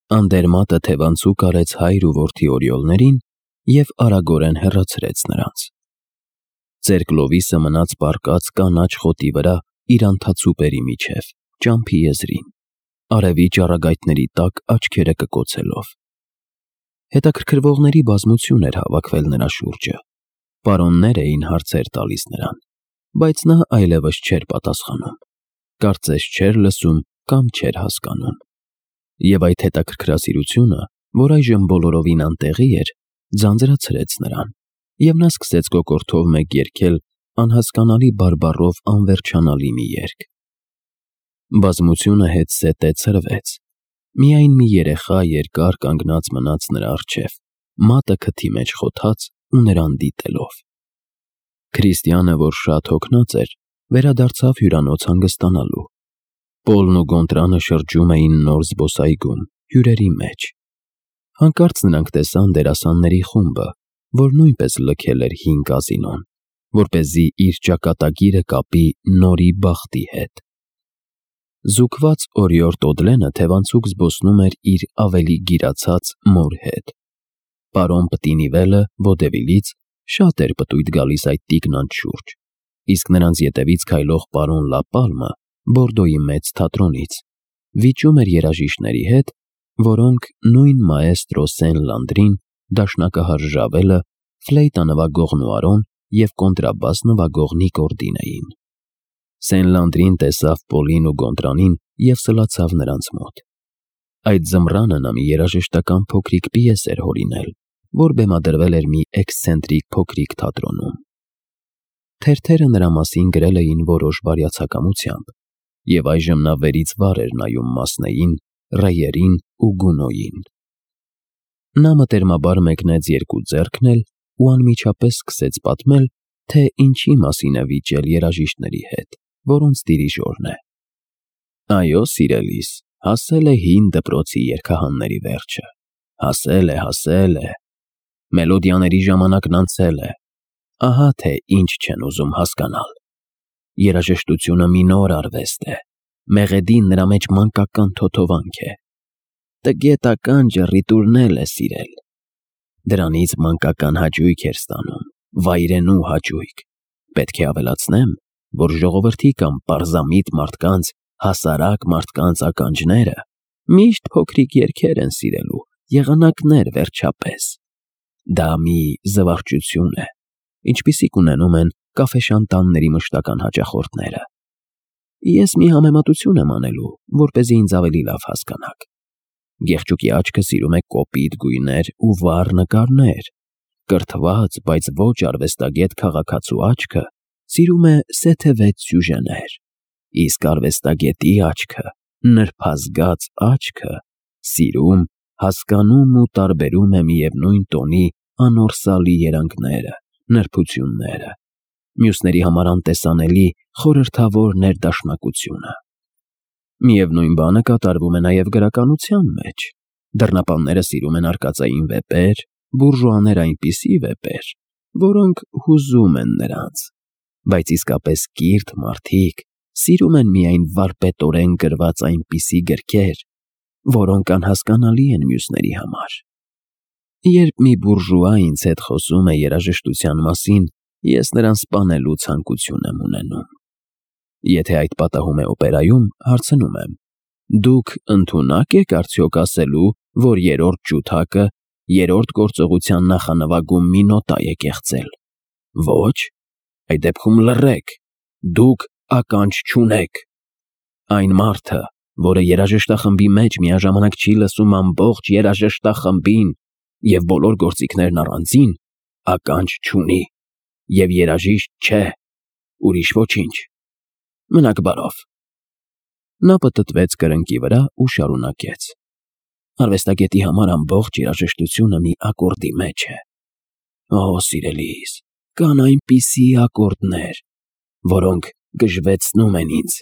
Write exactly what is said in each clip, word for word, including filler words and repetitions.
Անդերմատը թևանցուկ արեց հայր ու որդի օրիոլներին և արագորեն հեռացրեց նրանց։ Ծեր Կլովիսը մնաց պառկած կանաչ խոտի վրա իր անթացուպերի միջև, ճամփի եզրին, արևի ճառագայթների տակ աչքերը կկոցելով։ Հետաքրքրվողների բազմություն էր հավաքվել նրա շուրջը, պարոններ էին հարցեր տալիս նրան, բայց նա այլևս չէր պատասխանում, կարծես չէր լսում կամ չէր հասկանում։ Եվ այդ հետաքրքրասիրությունը, որ այժմ բոլորովին անտեղի էր, ձանձրացրեց նրան, և նա սկսեց կոկորդով մեկ երգել անհասկանալի բարբառով անվերջանալի մի երգ։ Բազմությունը հետզհետե ցրվեց, միայն մի երեխա երկար կանգնած մնաց նրա առջև, մատը քթի մեջ խոթած ու նրան դիտելով։ Քրիստիանը, որ շատ հոգնած էր, վերադարձավ հյուրանոց հանգստանալու։ Պոլն ու Գոնտրանը շրջում էին նոր զբոսայգում, հյուրերի մեջ։ Հանկարծ նրանք տեսան դերասանների խումբը, որ նույնպես լքել էր հին կազինոն, որպեսզի իր ճակատագիրը կապի նորի բախտի հետ։ Զուգված օրիորդ Օդլենը թևանցուկ զբոսնում էր իր ավելի գիրացած մոր հետ։ Պարոն Պտինիվելը Ոդևիլից շատ էր պտույտ գալիս այդ տիկնանց շուրջ, իսկ նրանց ետևից քայլող պարոն Լապալմը Բորդոյի մեծ թատրոնից վիճում էր երաժիշտների հետ, որոնք նույն մաեստրո Սեն֊Լանդրին, դաշնակահար Ժավելը, ֆլեյտա նվագող Նուարոն և կոնտրաբաս նվագող Նիկորդին էին։ Սեն֊Լանդրին տեսավ Պոլին ու Գոնտրանին և սլացավ նրանց մոտ։ Այդ ձմռանը նա մի երաժշտական փոքրիկ պիես էր հորինել, որ բեմադրվել էր մի էքսցենտրիկ փոքրիկ թատրոնում։ Թերթերը նրա մասին գրել էին որոշ բարյացակամությամբ, և այժմ նա վերից վար էր նայում Մասնեին, Ռեյերին ու Գունոյին։ Նա մտերմաբար մեկնեց երկու ձեռքն էլ ու անմիջապես սկսեց պատմել, թե ինչի մասին է վիճել երաժիշտների հետ, որոնց դիրիժորն է։ Այո, սիրելիս, հասել է հին դպրոցի երգահանների վերջը, հասել է, հասել է, մելոդիաների ժամանակն անցել է, ահա թե ինչ չեն ուզում հասկանալ։ Երաժշտությունը մի նոր արվեստ է, մեղեդին նրա մեջ մանկական թոթովանք է, տգետական ջռիտուրն էլ է սիրել, դրանից մանկական հաճույք էր ստանում, վայրենու հաճույք։ Պետք է ավելացնեմ, որ ժողովրդի կամ պարզամիտ մարդկանց, հասարակ մարդկանց ականջները միշտ փոքրիկ երգեր են սիրելու, եղանակներ վերջապես։ Դա մի զվարճություն է, ինչպիսիք ունենում են կաֆեշանտանների մշտական հաճախորդները։ Ես մի համեմատություն եմ անելու, որպեսզի ինձ ավելի լավ հասկանաք։ Գեղչուկի աչքը սիրում է կոպիտ գույներ ու վառ նկարներ, կրթված, բայց ոչ արվեստագետ քաղաքացու աչքը սիրում է սեթևետ սյուժեներ, իսկ արվեստագետի աչքը, նրբազգաց աչքը, սիրում, հասկանում ու տարբերում է միևնույն տոնի անորսալի երանգները, նրբությունները, մյուսների համար անտեսանելի, խորհրդավոր ներդաշնակությունը։ Միևնույն բանը կատարվում է նաև գրականության մեջ։ Դռնապանները սիրում են արկածային վեպեր, բուրժուաները այնպիսի վեպեր, որոնք հուզում են նրանց, բայց իսկապես կիրթ մարդիկ սիրում են միայն վարպետորեն գրված այնպիսի գրքեր, որոնք անհասկանալի են մյուսների համար։ Երբ մի բուրժուա ինձ հետ խոսում է երաժշտության մասին, ես նրան սպանելու ցանկություն եմ ունենում։ Եթե այդ պատահում է օպերայում, հարցնում եմ. դուք ընդունակ եք արդյոք ասելու, որ երրորդ ջութակը երրորդ գործողության նախանվագում մի նոտա է կեղծել։ Ոչ, այդ դեպքում լռեք, դուք ականջ չունեք։ Այն մարդը, որը երաժշտախմբի մեջ միաժամանակ չի լսում ամբողջ երաժշտախմբին և բոլոր գործիքներն առանձին, ականջ չունի և երաժիշտ չէ, ուրիշ ոչինչ։ Մնաք բարով։ Նա պտտվեց կրնկի վրա ու շարունակեց. Արվեստագետի համար ամբողջ երաժշտությունը մի ակորդի մեջ է։ Օ, սիրելիս, կան այնպիսի ակորդներ, որոնք գժվեցնում են ինձ,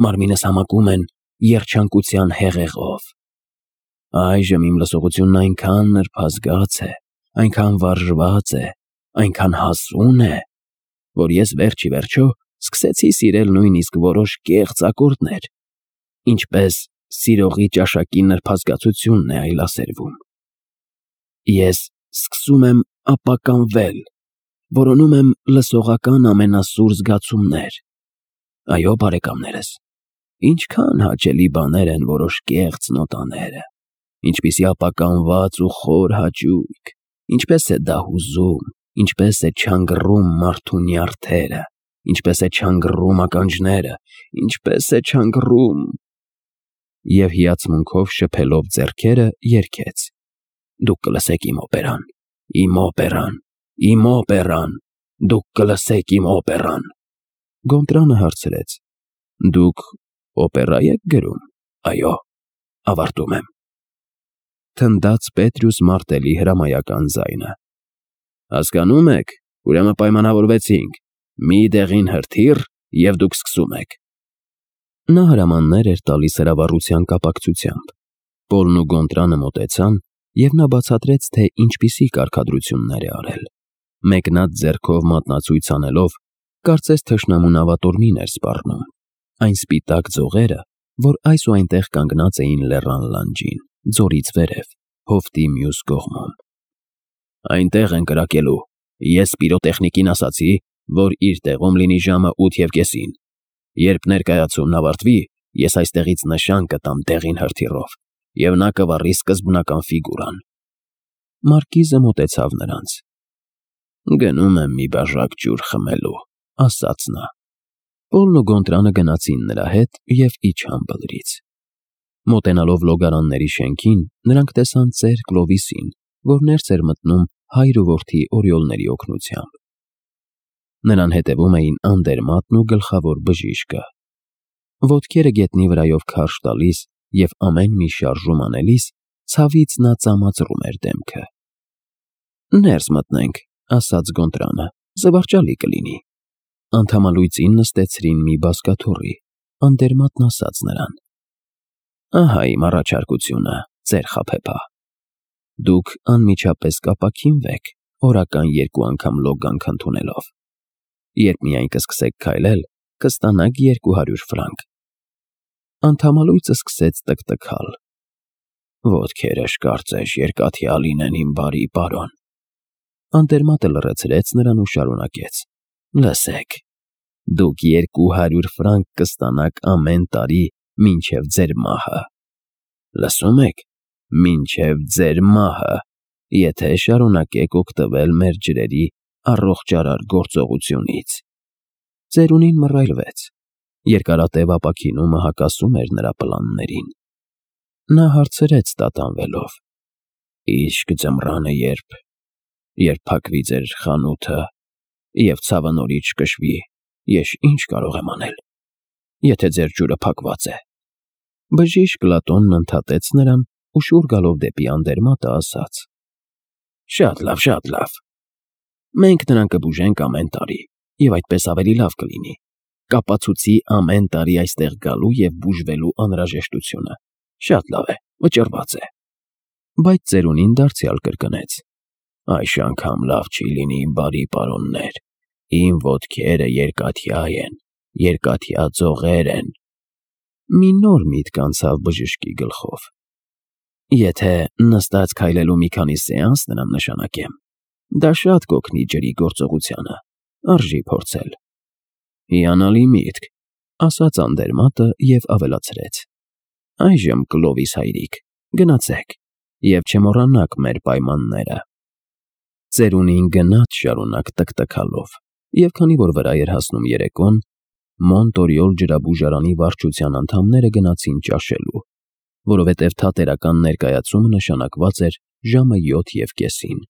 մարմինս համակում են երջանկության հեղեղով։ Այժմ իմ լսողությունն այնքան նրբազգաց է, այնքան վարժված է, այնքան հասուն է, որ ես վերջ ի վերջո սկսեցի սիրել նույնիսկ որոշ կեղծ ակորդներ, ինչպես սիրողի ճաշակի նրբազգացությունն է այլասերվում։ Ես սկսում եմ ապականվել, որոնում եմ լսողական ամենասուր զգացումներ։ Այո, բարեկամներս, ինչքան հաճելի բաներ են որոշ կեղծ նոտաները, ինչպիսի ապականված ու խոր հաճույք, ինչպես է դա հուզում, ինչպես է չանգռում մարդու նյարդերը, ինչպես է չանգռում ականջները, ինչպես է չանգռում… Եվ հիացմունքով շփելով ձեռքերը երգեց. Դուք կլսեք իմ օպերան, իմ օպերան, իմ օպերան, դուք կլսեք իմ օպերան… Գոնտրանը հարցրեց. Դուք օպերա եք գրում։ Այո, ավարտում եմ… Թնդաց Պետրուս մարտելի հրամայական ձայնը։ Հասկանում եք, ուրեմն պայմանավորվեցինք, մի դեղին հրթիռ, և դուք սկսում եք… Նա հրամաններ էր տալիս հրավառության կապակցությամբ։ Պոլն ու Գոնտրանը մոտեցան, և նա բացատրեց, թե ինչպիսի կարգադրություններ է արել։ Մեկնած ձեռքով մատնացույց անելով, կարծես թշնամու նավատորմին էր սպառնում։ Այն սպիտակ ձողերը, որ այս ու այնտեղ կանգնած էին լեռան լանջին, ձորից վերև, հովտի մյուս կողմում։ Այնտեղ են կրակելու։ Ես պիրոտեխնիկին ասացի, որ իր տեղում լինի ժամը ութ և կեսին։ Երբ ներկայացումն ավարտվի, ես այստեղից նշան կտամ դեղին հրթիռով, և նա կվառի սկզբնական ֆիգուրան։ Մարկիզը մոտեցավ նրանց։ Գնում եմ մի բաժակ ջուր խմելու, ասաց նա։ Պոլն ու Գոնտրանը գնացին նրա հետ և իջան բլրից։ Մոտենալով լոգարանների շենքին, նրանք տեսան ծեր Կլովիսին, որ ներս էր մտնում հայր ու որդի օրիոլների օգնությամբ։ Նրան հետևում էին Անդերմատն ու գլխավոր բժիշկը։ Ոտքերը գետնի վրայով քարշ տալիս և ամեն մի շարժում անելիս, ցավից նա ծամածռում էր դեմքը։ Ներս մտնենք, ասաց Գոնտրանը, զվարճալի կլինի։ Անդամալույծին նստեցրին մի բազկաթոռի։ Անդերմատն ասաց նրան. Ահա իմ առաջարկությունը, ծեր Խաբեբա։ Դուք անմիջապես կապաքինվեք, օրական երկու անգամ լոգանք ընդունելով։ Երբ միայն կսկսեք քայլել, կստանաք երկու հարյուր ֆրանկ։ Անդամալույծը սկսեց տկտկալ։ Ոտքերս կարծես երկաթյա լինեն, իմ բարի պարոն։ Անդերմատը լռեցրեց նրան ու շարունակեց. Լսեք, դուք երկու հարյուր ֆրանկ կստանաք ամեն տարի մինչև ձեր մահը։ Լսում եք, մինչև ձեր մահը, եթե շարունակեք օգտվել մեր ջրերի առողջարար գործողությունից։ Ծերունին մռայլվեց։ Երկարատև ապաքինումը հակասում էր նրա պլաններին։ Նա հարցրեց տատանվելով. Իսկ ձմռանը երբ… երբ փակվի ձեր խանութը, և ցավը նորից չկշվի, ես ինչ կարող եմ անել, եթե ձեր ջուրը փակված է։ Բժիշկ Լատոնն ընդհատեց նրան ու շուռ գալով դեպի Անդերմատը ասաց. Շատ լավ, շատ լավ։ Մենք նրան կբուժենք ամեն տարի, և այդպես ավելի լավ կլինի։ Կապացուցի ամեն տարի այստեղ գալու և բուժվելու անհրաժեշտությունը։ Շատ լավ է, վճռված է։ Բայց ծերունին դարձյալ կրկնեց. Այս անգամ լավ չի լինի, իմ բարի պարոններ։ Իմ ոտքերը երկաթյա են, երկաթյա ձողեր են։ Մի նոր միտք անցավ բժշկի գլխով. Եթե նստած քայլելու մի քանի սեանս նրան նշանակեմ, դա շատ կօգնի ջրի գործողությանը, արժի փորձել։ Հիանալի միտք, ասաց Անդերմատը և ավելացրեց. Այժմ, Կլովիս հայրիկ, գնացեք և չմոռանաք մեր պայմանները։ Ծերունին գնաց շարունակ տկտկալով, և քանի որ վրա էր հասնում երեկոն, Մոնտորիոլ ջրաբուժարանի վարչության անդամները գնացին ճաշելու, որովհետև թատերական ներկայացումը նշանակված էր ժամը յոթ և կեսին։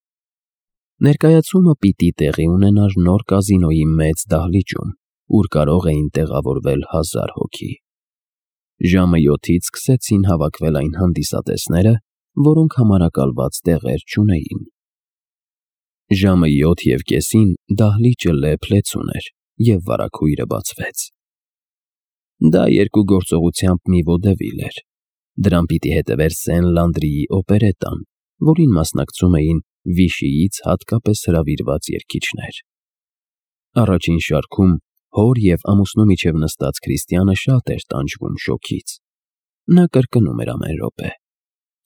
Ներկայացումը պիտի տեղի ունենար նոր կազինոյի մեծ դահլիճում, ուր կարող էին տեղավորվել հազար հոգի։ Ժամը յոթից սկսեցին հավաքվել այն հանդիսատեսները, որոնք համարակալված տեղեր չունեին։ Ժամը յոթ և կեսին դահլիճը լեփ-լեցուն էր, և վարագույրը բացվեց։ Դա երկու գործողությամբ մի ոդևիլ էր։ Դրան պիտի հետևեր Սեն֊Լանդրիի օպերետան, որին մասնակցում էին Վիշիից հատկապես հրավիրված երգիչներ։ Առաջին շարքում հոր և ամուսնու միջև նստած Քրիստիանը շատ էր տանջվում շոգից։ Նա կրկնում էր ամեն րոպե.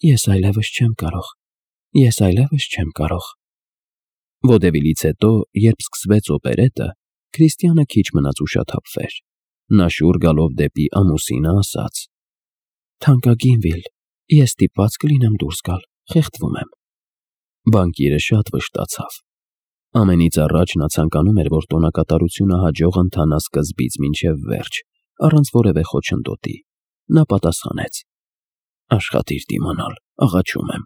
Ես այլևս չեմ կարող, ես այլևս չեմ կարող։ Ոդևիլից հետո, երբ սկսվեց օպերետը, Քրիստիանը քիչ մնաց ուշաթափվեր։ Նա շուռ գալով դեպի ամուսինը ասաց. Թանկագին Վիլ, ես ստիպված կլինեմ դուրս գալ, խեղդվում եմ։ Բանկիրը շատ վշտացավ։ Ամենից առաջ նա ցանկանում էր, որ տոնակատարությունը հաջող ընթանա սկզբից մինչև վերջ, առանց որևէ խոչընդոտի։ Նա պատասխանեց. Աշխատիր դիմանալ, աղաչում եմ։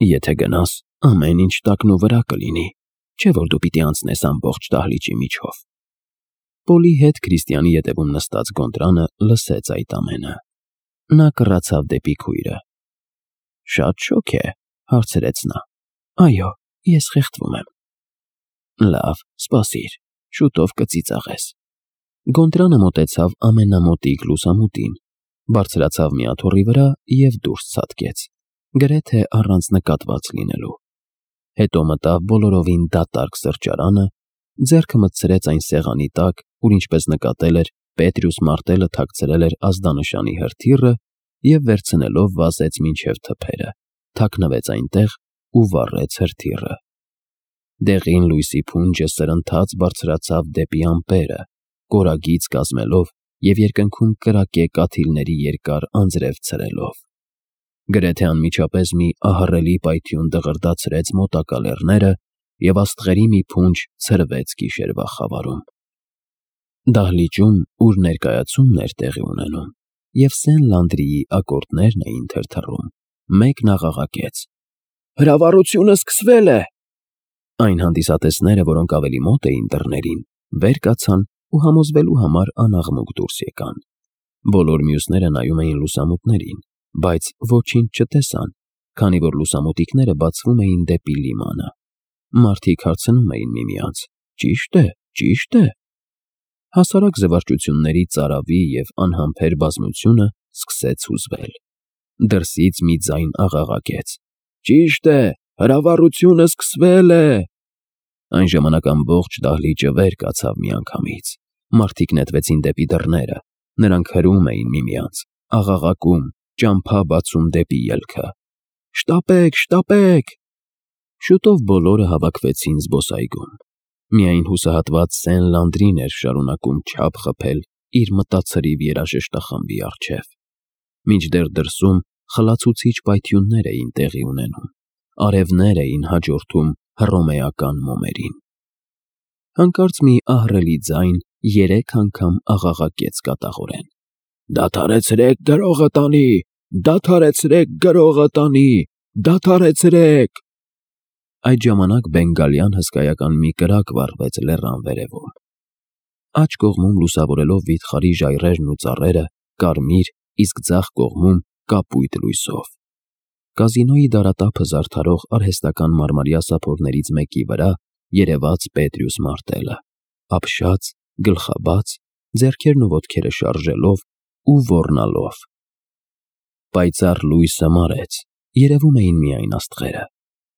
Եթե գնաս, ամեն ինչ տակնու վրա կլինի, չէ՞ որ դու պիտի անցնես ամբողջ դահլիճի միջով։ Պոլի հետ Քրիստիանի ետևում նստած Գոնտրանը լսեց այդ ամենը։ Նա կռացավ դեպի քույրը։ Շատ շոգ է, հարցրեց նա։ Այո, ես խեղդվում եմ։ Լավ, սպասիր, շուտով կծիծաղես։ Գոնտրանը մոտեցավ ամենամոտիկ լուսամուտին, բարձրացավ մի աթոռի վրա և դուրս ցատկեց, գրեթե առանց նկատված լինելու։ Հետո մտավ բոլորովին դատարկ սրճարանը, ձեռքը մտցրեց այն սեղանի տակ, ուր ինչպես նկատել էր, Պետրյուս Մարտելը թաքցրել էր ազդանշանի հրթիռը և վերցնելով վազեց մինչև թփերը, թաքնվեց այնտեղ ու վառեց հրթիռը։ Դեղին լույսի փունջը սրընթաց բարձրացավ դեպի ամպերը, կորագիծ կազմելով և երկնքում կրակե կաթիլների երկար անձրև ցրելով։ Գրեթե անմիջապես մի ահռելի պայթյուն դղրդացրեց մոտակա լեռները և աստղերի մի փունջ ցրվեց գիշերվա խավարում։ Դահլիճում, ուր ներկայացումն էր տեղի ունենում, և Սեն֊Լանդրիի ակորդներն էին թրթռում, մեկն աղաղակեց. Հրավառությունը սկսվել է։ Այն հանդիսատեսները, որոնք ավելի մոտ էին դռներին, վեր կացան ու համոզվելու համար անաղմուկ դուրս եկան։ Բոլոր մյուսները նայում էին լուսամուտներին, բայց ոչինչ չտեսան, քանի որ լուսամուտիկները բացվում էին դեպի լիմանը։ Մարդիկ հարցնում էին միմյանց. Ճի՞շտ է, ճի՞շտ է։ Հասարակ զվարճությունների ծարավի և անհամբեր բազմությունը սկսեց հուզվել։ Դրսից մի ձայն աղաղակեց. Ճիշտ է, հրավառությունը սկսվել է։ Այն ժամանակ ամբողջ դահլիճը վեր կացավ միանգամից։ Մարդիկ նետվեցին դեպի դռները, նրանք հրում էին միմյանց, աղաղակում, ճամփա բացում դեպի ելքը։ Շտապեք, շտապեք։ Շուտով բոլորը հավաքվեցին զբոսայգում։ Միայն հուսահատված Սեն-Լանդրին էր շարունակում չափ խփել իր մտացրիվ երաժշտախմբի առջև։ Մինչդեռ դրսում խլացուցիչ պայթյուններ էին տեղի ունենում, արևներ էին հաջորդում հռոմեական մոմերին։ Հանկարծ մի ահռելի ձայն երեք անգամ աղաղակեց կատաղորեն. Դադարեցրեք գրողը տանի, դադարեցրեք գրողը տանի, դադարեցրեք։ Այդ ժամանակ բենգալյան հսկայական մի կրակ վառվեց լեռան վերևում։ Աջ կողմում լուսավորելով վիթխարի ժայռերն ու ծառերը, կարմիր, իսկ ձախ կողմում կապույտ լույսով։ Կազինոյի դարատափը զարդարող արհեստական մարմարյա սափորներից մեկի վրա երևաց Պետրյուս Մարտելը, ապշած, գլխաբաց, ձեռքերն ու ոտքերը շարժելով ու ոռնալով։ Պայծառ լույսը մարեց, երևում էին միայն աստղերը,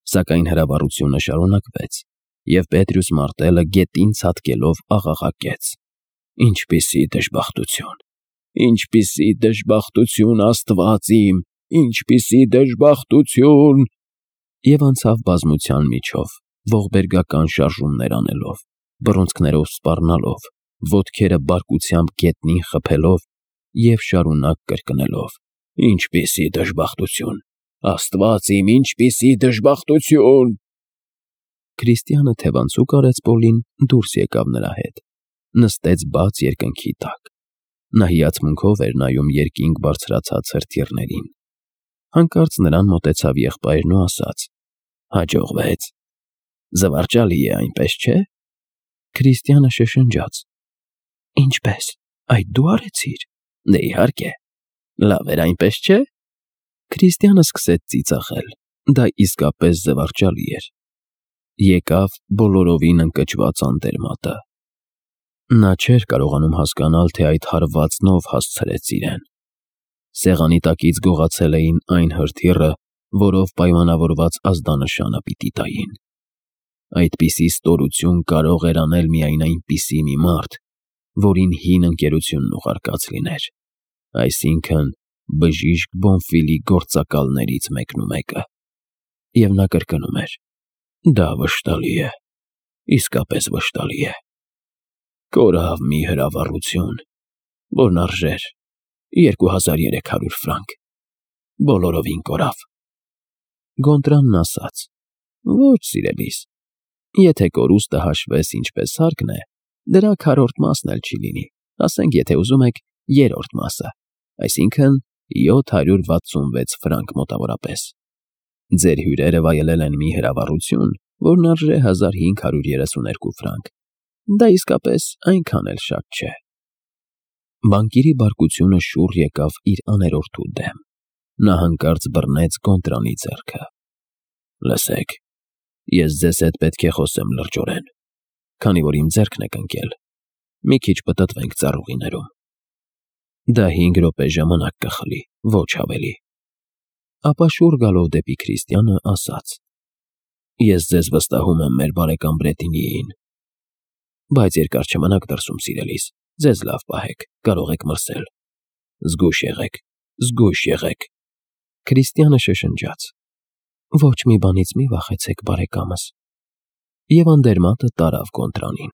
սակայն հրավառությունը շարունակվեց, և Պետրյուս Մարտելը գետին ցատկելով աղաղակեց. Ինչպիսի դժբախտություն, ինչպիսի դժբախտություն, Աստված իմ, ինչպիսի դժբախտություն։ Եվ անցավ բազմության միջով, ողբերգական շարժումներ անելով, բռունցքներով սպառնալով, ոտքերը բարկությամբ գետնին խփելով և շարունակ կրկնելով. Ինչպիսի դժբախտություն, Աստված իմ, ինչպիսի դժբախտություն։ Քրիստիանը թևանցուկ արեց Պոլին, դուրս եկավ նրա հետ, նստեց բաց երկնքի տակ։ Նա հիացմունքով էր նայում երկինք բարձրացած հրթիռներին։ Հանկարծ նրան մոտեցավ եղբայրն ու ասաց. Հաջողվեց։ Զվարճալի է, այնպես չէ։ Քրիստիանը շշնջաց. Ինչպես, այդ դու արեցիր։ Դե իհարկե։ Լավ էր, այնպես չէ։ Քրիստիանը սկսեց ծիծաղել, դա իսկապես զվարճալի էր։ Եկավ բոլորովին ընկճված անտերմատը։ Նա չէր կարողանում հասկանալ, թե այդ հարվածնով հասցրեց իրեն։ Սեղանի տակից գողացել էին այն հրթիռը, որով պայմանավորված ազդանշանը պիտի տային։ Այդպիսի ստորություն կարող էր անել միայն այնպիսի մի մարդ, որին հին ընկերությունն ուղարկած լիներ, այսինքն բժիշկ Բոնֆիլի գործակալներից մեկնումեկը։ Եվ նա կրկնում էր. «Դա վշտալի է, իսկապես վշտալի է։ Կորավ մի հրավառություն, որն արժեր երկու հազար երեք հարյուր ֆրանկ, բոլորովին կորավ»։ Գոնտրալն ասաց. «Ոչ, սիրելիս, եթե կորուստը հաշվես ինչպես հարկն է, դրա քառորդ մասն էլ չի լինի, ասենք, եթե ուզում եք, երրորդ մասը, այսինքն՝ յոթ հարյուր վաթսունվեց ֆրանկ մոտավորապես։ Ձեր հյուրերը վայելել են մի հրավառություն, որն արժե հազար հինգ հարյուր երեսուներկու ֆրանկ, դա իսկապես այնքան էլ շատ չէ»։ Բանկիրի բարկությունը շուռ եկավ իր աներորդու դեմ։ Նա հանկարծ բռնեց Գոնտրալի ձեռքը։ «Լսեք, ես ձեզ հետ պետք է խոսեմ լրջորեն, քանի որ իմ ձեռքն եք ընկել, մի քիչ պտտվենք ծառուղիներում։ Դա հինգ րոպե ժամանակ կխլի, ոչ ավելի»։ Ապա շուռ գալով դեպի Քրիստիանը ասաց. «Ես ձեզ վստահում եմ մեր բարեկամ Բրետինիին, բայց երկար չմնաք դրսում, սիրելիս, ձեզ լավ պահեք, կարող եք մրսել։ Զգույշ եղեք, զգույշ եղեք»։ Քրիստիանը շշնջաց. «Ոչ մի բանից մի վախեցեք, բարեկամս»։ Եվ անդերմատը տարավ Գոնտրալին։